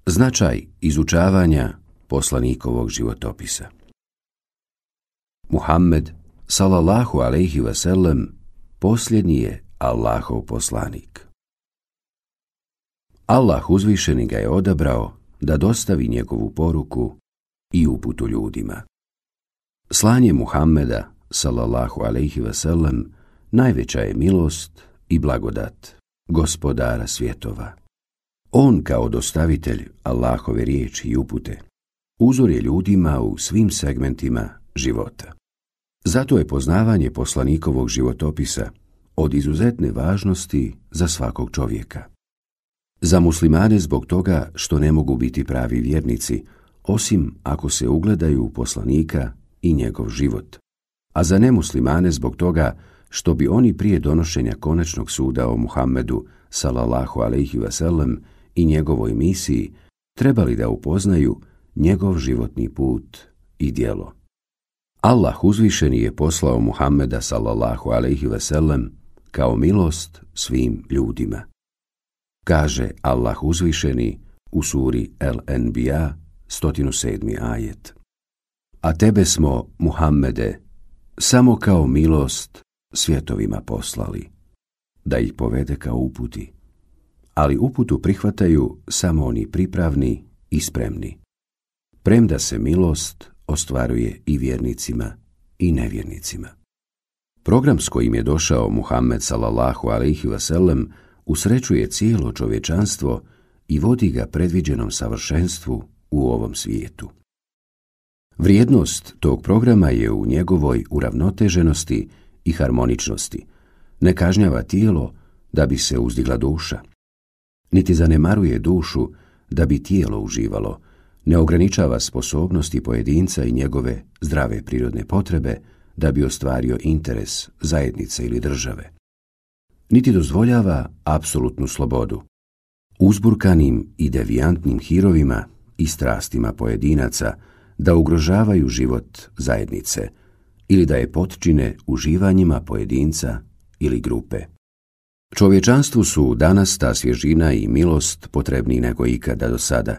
Značaj izučavanja poslanikovog životopisa. Muhammed, sallallahu alejhi ve sellem, posljednji je Allahov poslanik. Allah uzvišeni ga je odabrao da dostavi njegovu poruku i uputu ljudima. Slanje Muhammeda, sallallahu alejhi ve sellem, najveća je milost i blagodat gospodara svjetova. On kao dostavitelj Allahove riječi i upute uzor je ljudima u svim segmentima života. Zato je poznavanje poslanikovog životopisa od izuzetne važnosti za svakog čovjeka. Za muslimane zbog toga što ne mogu biti pravi vjernici, osim ako se ugledaju u poslanika i njegov život, a za nemuslimane zbog toga što bi oni prije donošenja konačnog suda o Muhammedu, sallallahu alejhi ve sellem, i njegovoj misiji trebali da upoznaju njegov životni put i djelo. Allah uzvišeni je poslao Muhammeda, sallallahu alejhi ve sellem, kao milost svim ljudima. Kaže Allah uzvišeni u suri El-Enbiya, 107. ajet. A tebe smo, Muhammede, samo kao milost svjetovima poslali, da ih povede kao uputi. Ali uputu prihvataju samo oni pripravni i spremni. Premda se milost ostvaruje i vjernicima i nevjernicima. Program s kojim je došao Muhammed, sallallahu alejhi ve sellem, usrećuje cijelo čovječanstvo i vodi ga predviđenom savršenstvu u ovom svijetu. Vrijednost tog programa je u njegovoj uravnoteženosti i harmoničnosti. Ne kažnjava tijelo da bi se uzdigla duša, niti zanemaruje dušu da bi tijelo uživalo, ne ograničava sposobnosti pojedinca i njegove zdrave prirodne potrebe da bi ostvario interes zajednice ili države. Niti dozvoljava apsolutnu slobodu. Uzburkanim i devijantnim hirovima i strastima pojedinaca da ugrožavaju život zajednice ili da je potčine uživanjima pojedinca ili grupe. Čovječanstvu su danas ta svježina i milost potrebniji nego ikada do sada,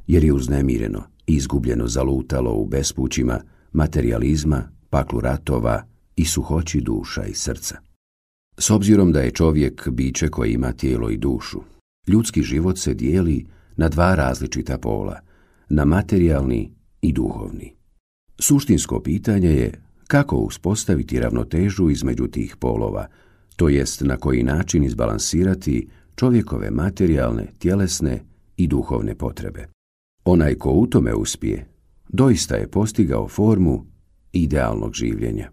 jer je uznemireno i izgubljeno zalutalo u bespućima materijalizma, paklu ratova i suhoći duša i srca. S obzirom da je čovjek biće koje ima tijelo i dušu, ljudski život se dijeli na dva različita pola, na materijalni i duhovni. Suštinsko pitanje je kako uspostaviti ravnotežu između tih polova, to jest na koji način izbalansirati čovjekove materijalne, tjelesne i duhovne potrebe. Onaj ko u tome uspije, doista je postigao formu idealnog življenja.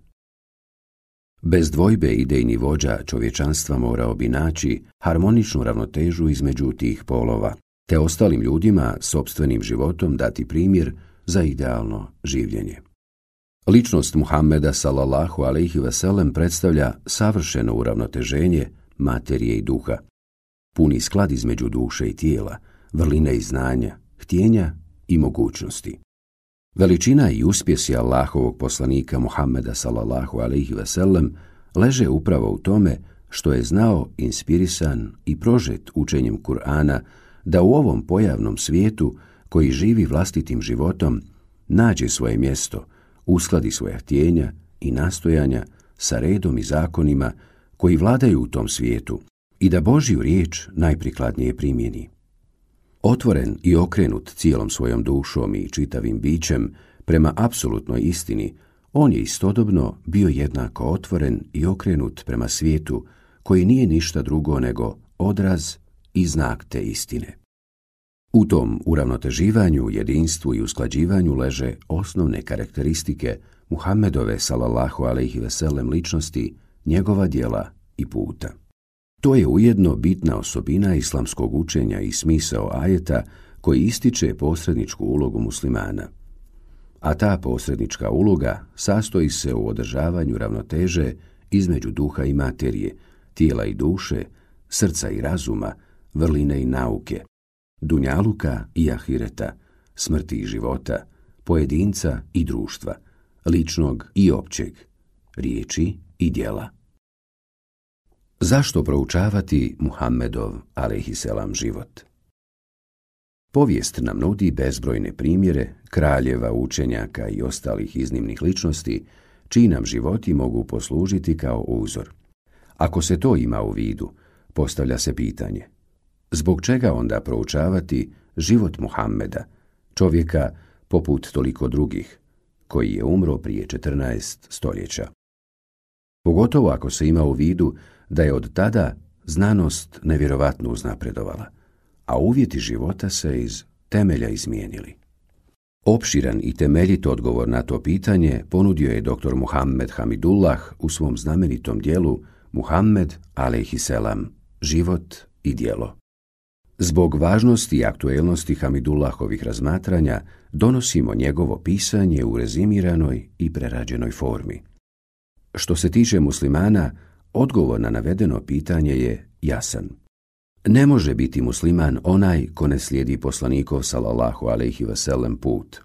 Bez dvojbe idejni vođa čovječanstva morao bi naći harmoničnu ravnotežu između tih polova, te ostalim ljudima sopstvenim životom dati primjer za idealno življenje. Ličnost Muhammeda, sallallahu alejhi ve sellem, predstavlja savršeno uravnoteženje materije i duha, puni sklad između duše i tijela, vrline i znanja, htjenja i mogućnosti. Veličina i uspjesi Allahovog poslanika Muhammeda, sallallahu alejhi ve sellem, leže upravo u tome što je znao, inspirisan i prožet učenjem Kur'ana, da u ovom pojavnom svijetu koji živi vlastitim životom nađe svoje mjesto, uskladi svoja htjenja i nastojanja sa redom i zakonima koji vladaju u tom svijetu i da Božju riječ najprikladnije primjeni. Otvoren i okrenut cijelom svojom dušom i čitavim bićem prema apsolutnoj istini, on je istodobno bio jednako otvoren i okrenut prema svijetu koji nije ništa drugo nego odraz i znak te istine. U tom uravnoteživanju, jedinstvu i usklađivanju leže osnovne karakteristike Muhammedove, sallallahu alejhi ve sellem, ličnosti, njegova djela i puta. To je ujedno bitna osobina islamskog učenja i smisao ajeta koji ističe posredničku ulogu muslimana. A ta posrednička uloga sastoji se u održavanju ravnoteže između duha i materije, tijela i duše, srca i razuma, vrline i nauke, dunjaluka i ahireta, smrti i života, pojedinca i društva, ličnog i općeg, riječi i djela. Zašto proučavati Muhammedov alejhiselam život? Povijest nam nudi bezbrojne primjere kraljeva, učenjaka i ostalih iznimnih ličnosti, čiji nam životi mogu poslužiti kao uzor. Ako se to ima u vidu, postavlja se pitanje: zbog čega onda proučavati život Muhammeda, čovjeka poput toliko drugih, koji je umro prije 14 stoljeća? Pogotovo ako se ima u vidu da je od tada znanost nevjerovatno uznapredovala, a uvjeti života se iz temelja izmijenili. Opširan i temeljit odgovor na to pitanje ponudio je dr. Muhammed Hamidullah u svom znamenitom dijelu Muhammed a.s. Život i djelo. Zbog važnosti i aktuelnosti Hamidullahovih razmatranja donosimo njegovo pisanje u rezimiranoj i prerađenoj formi. Što se tiče muslimana, odgovor na navedeno pitanje je jasan. Ne može biti musliman onaj ko ne slijedi poslanikov sallallahu alejhi ve sellem put.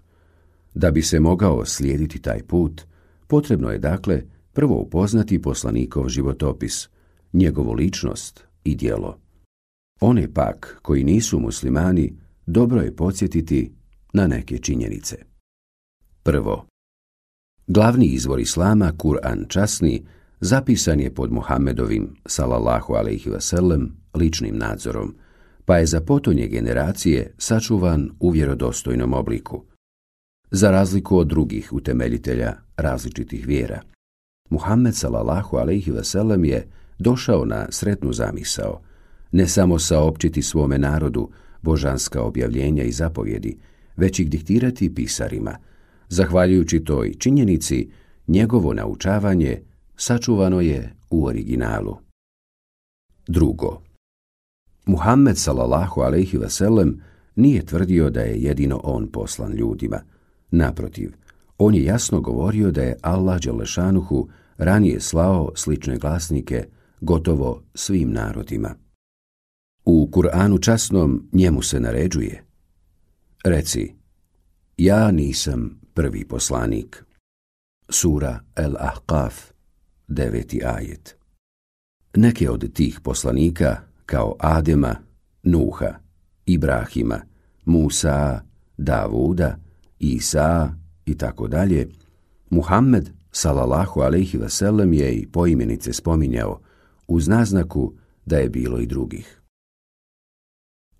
Da bi se mogao slijediti taj put, potrebno je dakle prvo upoznati poslanikov životopis, njegovu ličnost i djelo. One pak koji nisu muslimani, dobro je podsjetiti na neke činjenice. Prvo, glavni izvor islama, Kur'an časni, zapisan je pod Muhammedovim sallallahu alejhi ve sellem ličnim nadzorom, pa je za potonje generacije sačuvan u vjerodostojnom obliku. Za razliku od drugih utemeljitelja različitih vjera, Muhammed sallallahu alejhi ve sellem je došao na sretnu zamisao, ne samo saopćiti svome narodu božanska objavljenja i zapovjedi, već ih diktirati pisarima. Zahvaljujući toj činjenici, njegovo naučavanje sačuvano je u originalu. Drugo, Muhammed sallallahu alejhi ve sellem nije tvrdio da je jedino on poslan ljudima. Naprotiv, on je jasno govorio da je Allah dželešanuhu ranije slao slične glasnike gotovo svim narodima. U Kur'anu časnom njemu se naređuje: reci, ja nisam prvi poslanik. Sura El-Ahqaf, 9. ajet. Neke od tih poslanika, kao Adema, Nuha, Ibrahima, Musa, Davuda, Isa i tako dalje, Muhammed sallallahu alejhi ve sellem je i poimenice spominjao, uz naznaku da je bilo i drugih.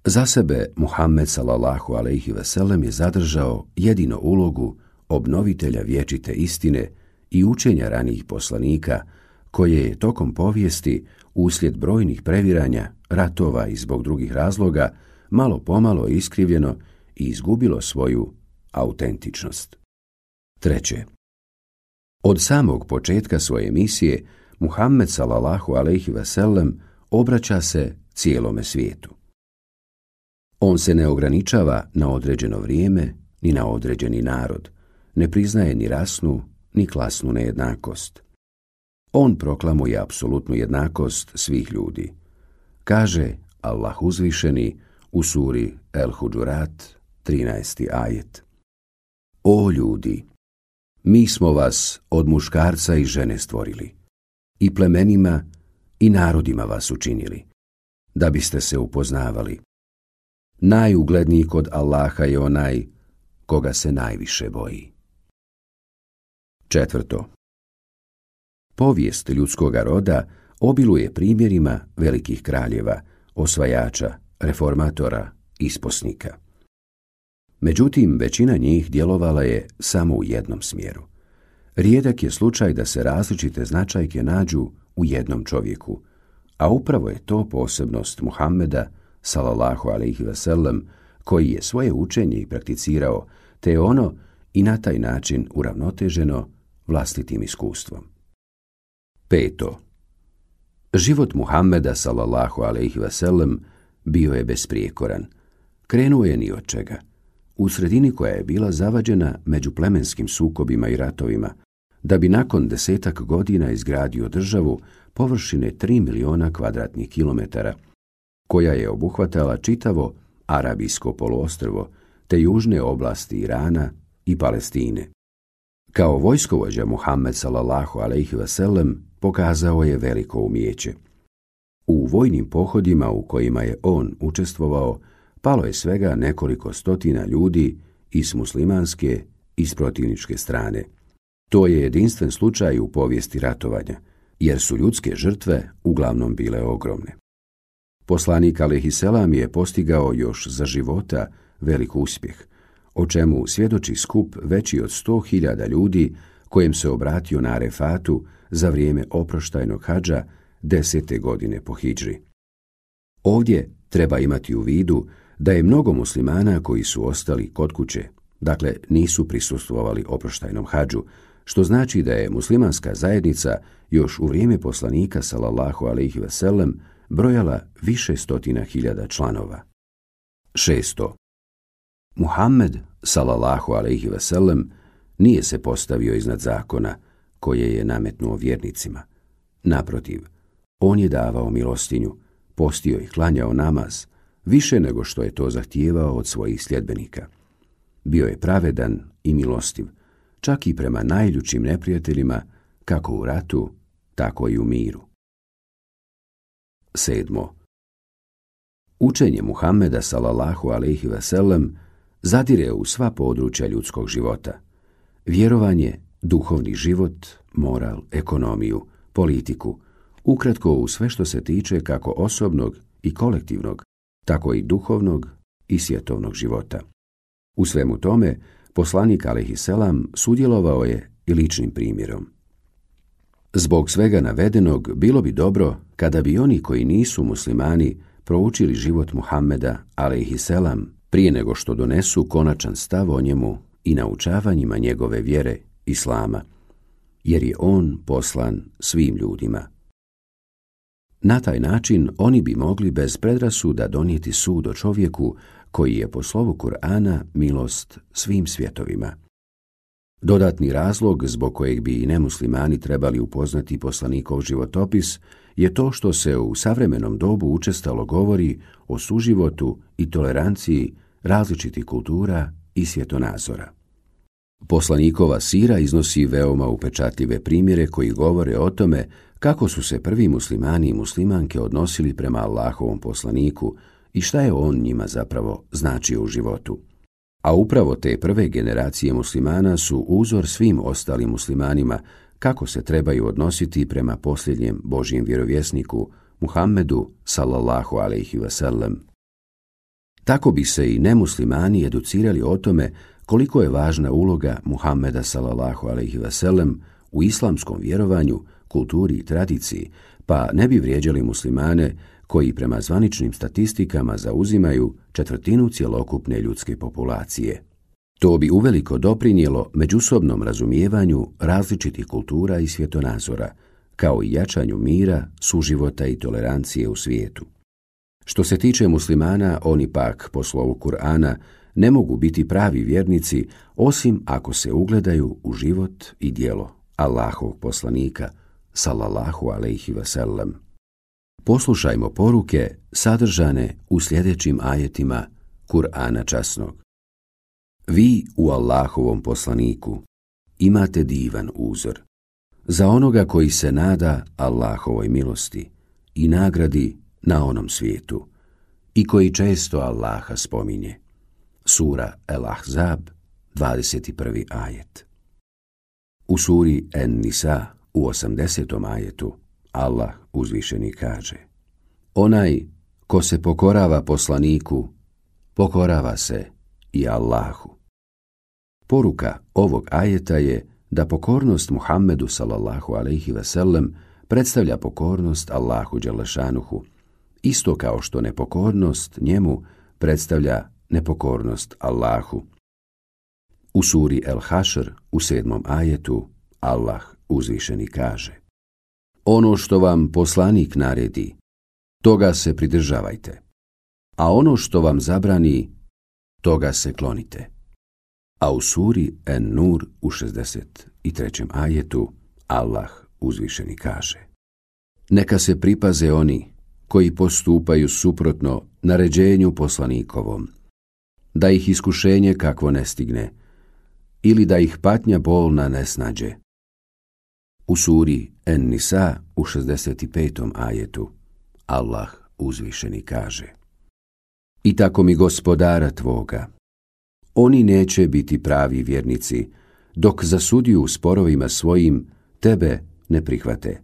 Za sebe Muhammed sallallahu alejhi ve sellem je zadržao jedino ulogu obnovitelja vječite istine i učenja ranijih poslanika, koje je tokom povijesti, uslijed brojnih previranja, ratova i zbog drugih razloga, malo pomalo iskrivljeno i izgubilo svoju autentičnost. Treće, od samog početka svoje misije Muhammed sallallahu alejhi ve sellem obraća se cijelome svijetu. On se ne ograničava na određeno vrijeme ni na određeni narod, ne priznaje ni rasnu ni klasnu nejednakost. On proklamuje apsolutnu jednakost svih ljudi. Kaže Allah uzvišeni u suri El-Huđurat, 13. ajet: O ljudi, mi smo vas od muškarca i žene stvorili, i plemenima i narodima vas učinili, da biste se upoznavali. Najugledniji kod Allaha je onaj koga se najviše boji. Četvrto, povijest ljudskoga roda obiluje primjerima velikih kraljeva, osvajača, reformatora, isposnika. Međutim, većina njih djelovala je samo u jednom smjeru. Rijedak je slučaj da se različite značajke nađu u jednom čovjeku, a upravo je to posebnost Muhammeda sallallahu alejhi ve sellem, koji je svoje učenje i prakticirao, te je ono i na taj način uravnoteženo vlastitim iskustvom. Peto, život Muhammeda sallallahu alejhi ve sellem bio je besprijekoran. Krenuo je ni od čega, u sredini koja je bila zavađena među plemenskim sukobima i ratovima, da bi nakon 10 godina izgradio državu površine 3 miliona kvadratnih kilometara, koja je obuhvatala čitavo Arabijsko poluostrvo te južne oblasti Irana i Palestine. Kao vojskovođa Muhammed sallallahu alejhi ve sellem pokazao je veliko umijeće. U vojnim pohodima u kojima je on učestvovao, palo je svega nekoliko stotina ljudi i s muslimanske i s protivničke strane. To je jedinstven slučaj u povijesti ratovanja, jer su ljudske žrtve uglavnom bile ogromne. Poslanik alejhiselam je postigao još za života velik uspjeh, o čemu svjedoči skup veći od 100.000 ljudi kojem se obratio na Arefatu za vrijeme oproštajnog hadža 10. godine po hidžri. Ovdje treba imati u vidu da je mnogo muslimana koji su ostali kod kuće, dakle nisu prisustvovali oproštajnom hadžu, što znači da je muslimanska zajednica još u vrijeme poslanika sallallahu alejhi ve sellem brojala više stotina hiljada članova. 6. Muhammed sallallahu alejhi ve sellem nije se postavio iznad zakona koje je nametnuo vjernicima. Naprotiv, on je davao milostinju, postio i klanjao namaz, više nego što je to zahtijevao od svojih sljedbenika. Bio je pravedan i milostiv, čak i prema najljućim neprijateljima, kako u ratu, tako i u miru. 7. Učenje Muhammeda sallallahu alejhi ve sellem zadire u sva područja ljudskog života. Vjerovanje, duhovni život, moral, ekonomiju, politiku, ukratko u sve što se tiče kako osobnog i kolektivnog, tako i duhovnog i svjetovnog života. U svemu tome, poslanik alejhiselam sudjelovao je i ličnim primjerom. Zbog svega navedenog, bilo bi dobro kada bi oni koji nisu muslimani proučili život Muhammeda alejhiselam prije nego što donesu konačan stav o njemu i naučavanjima njegove vjere, islama, jer je on poslan svim ljudima. Na taj način oni bi mogli bez predrasuda donijeti sud o čovjeku koji je po slovu Kur'ana milost svim svjetovima. Dodatni razlog zbog kojeg bi i nemuslimani trebali upoznati poslanikov životopis je to što se u savremenom dobu učestalo govori o suživotu i toleranciji različitih kultura i svjetonazora. Poslanikova sira iznosi veoma upečatljive primjere koji govore o tome kako su se prvi muslimani i muslimanke odnosili prema Allahovom poslaniku i šta je on njima zapravo značio u životu. A upravo te prve generacije muslimana su uzor svim ostalim muslimanima kako se trebaju odnositi prema posljednjem Božjem vjerovjesniku Muhammedu sallallahu alejhi ve sellem. Tako bi se i nemuslimani educirali o tome koliko je važna uloga Muhammeda sallallahu alejhi ve sellem u islamskom vjerovanju, kulturi i tradiciji, pa ne bi vrijeđali muslimane koji prema zvaničnim statistikama zauzimaju 1/4 cjelokupne ljudske populacije. To bi uveliko doprinijelo međusobnom razumijevanju različitih kultura i svjetonazora, kao i jačanju mira, suživota i tolerancije u svijetu. Što se tiče muslimana, oni pak, po slovu Kur'ana, ne mogu biti pravi vjernici osim ako se ugledaju u život i djelo Allahovog poslanika, sallallahu alejhi ve sellem. Poslušajmo poruke sadržane u sljedećim ajetima Kur'ana časnog. Vi u Allahovom poslaniku imate divan uzor. Za onoga koji se nada Allahovoj milosti i nagradi na onom svijetu i koji često Allaha spominje. Sura El-Ahzab, 21. ajet. U suri En-Nisa, u 80. ajetu, Allah uzvišeni kaže: Onaj ko se pokorava poslaniku, pokorava se i Allahu. Poruka ovog ajeta je da pokornost Muhammedu sallallahu alejhi ve sellem predstavlja pokornost Allahu dželešanuhu, isto kao što nepokornost njemu predstavlja nepokornost Allahu. U suri El-Hašr, u 7. ajetu, Allah uzvišeni kaže: Ono što vam poslanik naredi, toga se pridržavajte, a ono što vam zabrani, toga se klonite. A u suri En-Nur, u 63. ajetu, Allah uzvišeni kaže: Neka se pripaze oni koji postupaju suprotno naređenju poslanikovom, da ih iskušenje kakvo ne stigne, ili da ih patnja bolna ne snađe. U suri En-Nisa, u 65. ajetu, Allah uzvišeni kaže: I tako mi Gospodara tvoga, oni neće biti pravi vjernici, dok za sudiju u sporovima svojim tebe ne prihvate,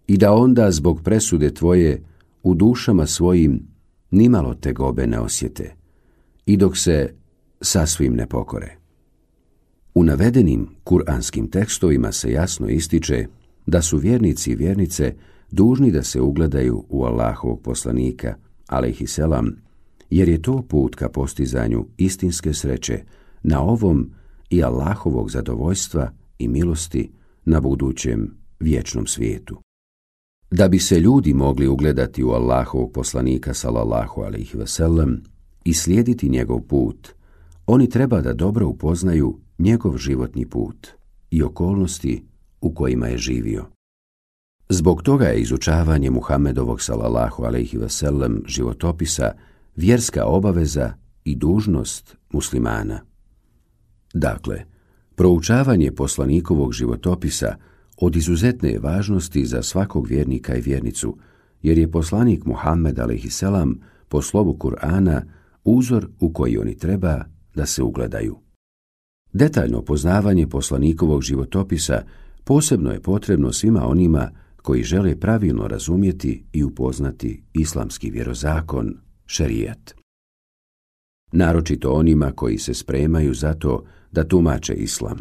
i da onda zbog presude tvoje u dušama svojim nimalo tegobe ne osjete, i dok se sasvim ne pokore. U navedenim kuranskim tekstovima se jasno ističe da su vjernici i vjernice dužni da se ugledaju u Allahovog poslanika, alejhiselam, jer je to put ka postizanju istinske sreće na ovom i Allahovog zadovoljstva i milosti na budućem vječnom svijetu. Da bi se ljudi mogli ugledati u Allahovog poslanika sallallahu alejhi ve sellem i slijediti njegov put, oni treba da dobro upoznaju njegov životni put i okolnosti u kojima je živio. Zbog toga je izučavanje Muhammedovog sallallahu alejhi ve sellem životopisa vjerska obaveza i dužnost muslimana. Dakle, proučavanje poslanikovog životopisa od izuzetne je važnosti za svakog vjernika i vjernicu, jer je poslanik Muhammed alejhiselam po slovu Kur'ana uzor u koji oni treba da se ugledaju. Detaljno poznavanje poslanikovog životopisa posebno je potrebno svima onima koji žele pravilno razumjeti i upoznati islamski vjerozakon, šerijat. Naročito onima koji se spremaju za to da tumače islam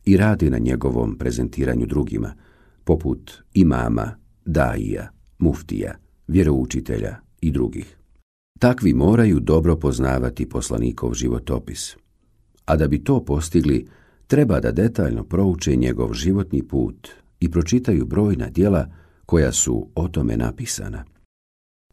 i rade na njegovom prezentiranju drugima, poput imama, daija, muftija, vjeroučitelja i drugih. Takvi moraju dobro poznavati poslanikov životopis, a da bi to postigli, treba da detaljno prouče njegov životni put i pročitaju brojna djela koja su o tome napisana.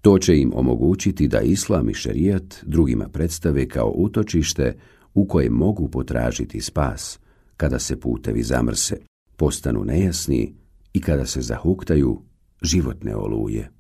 To će im omogućiti da islam i šerijat drugima predstave kao utočište u kojem mogu potražiti spas kada se putevi zamrse, postanu nejasni i kada se zahuktaju životne oluje.